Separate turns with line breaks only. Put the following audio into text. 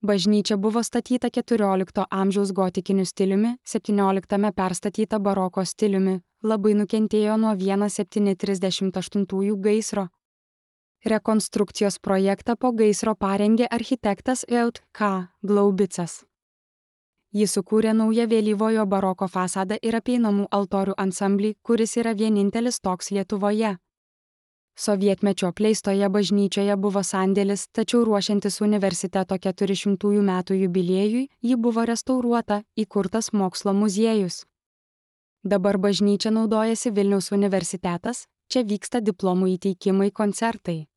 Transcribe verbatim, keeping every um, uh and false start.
Bažnyčia buvo statyta keturiolikto amžiaus gotikiniu stiliumi, septynioliktame perstatyta baroko stiliumi, labai nukentėjo nuo septyni trisdešimt aštuntųjų gaisro. Rekonstrukcijos projektą po gaisro parengė architektas Eut K. Glaubicas. Jis sukūrė naują vėlyvojo baroko fasadą ir apeinamų altorių ansamblį, kuris yra vienintelis toks Lietuvoje. Sovietmečio apleistoje bažnyčioje buvo sandėlis, tačiau ruošiantis universiteto keturišimtųjų metų jubiliejui, ji buvo restauruota, įkurtas mokslo muziejus. Dabar bažnyčia naudojasi Vilniaus universitetas, čia vyksta diplomų įteikimai koncertai.